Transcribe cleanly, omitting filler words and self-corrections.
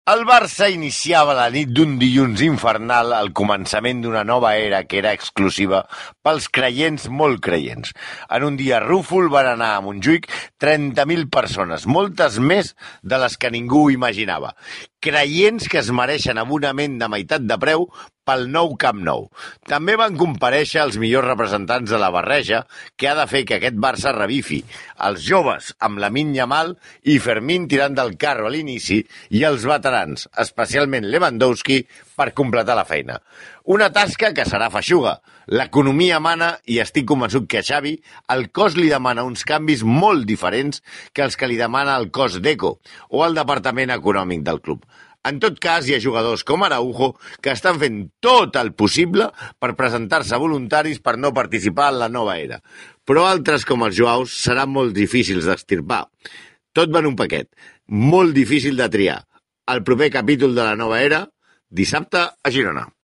El Barça iniciava la nit d'un dilluns infernal al començament d'una nova era que era exclusiva pels creients molt creients. En un dia rúfol van anar a Montjuïc 30.000 persones, moltes més de les que ningú imaginava. Creients que es mereixen abonament de meitat de preu pel nou Camp Nou. També van comparèixer els millors representants de la barreja que ha de fer que aquest Barça revifi. Els joves, amb Lamine Yamal i Fermín tirant del carro a l'inici, i els veterans, especialment Lewandowski, per completar la feina. Una tasca que serà feixuga. L'economia mana i estic convençut que a Xavi el cos li demana uns canvis molt diferents que els que li demana el cos d'Eco o el departament econòmic del club. En tot cas, hi ha jugadors com Araujo que estan fent tot el possible per presentar-se voluntaris per no participar en la nova era. Però altres, com els Joaus, seran molt difícils d'extirpar. Tot va en un paquet, molt difícil de triar. El proper capítol de la nova era, dissabte a Girona.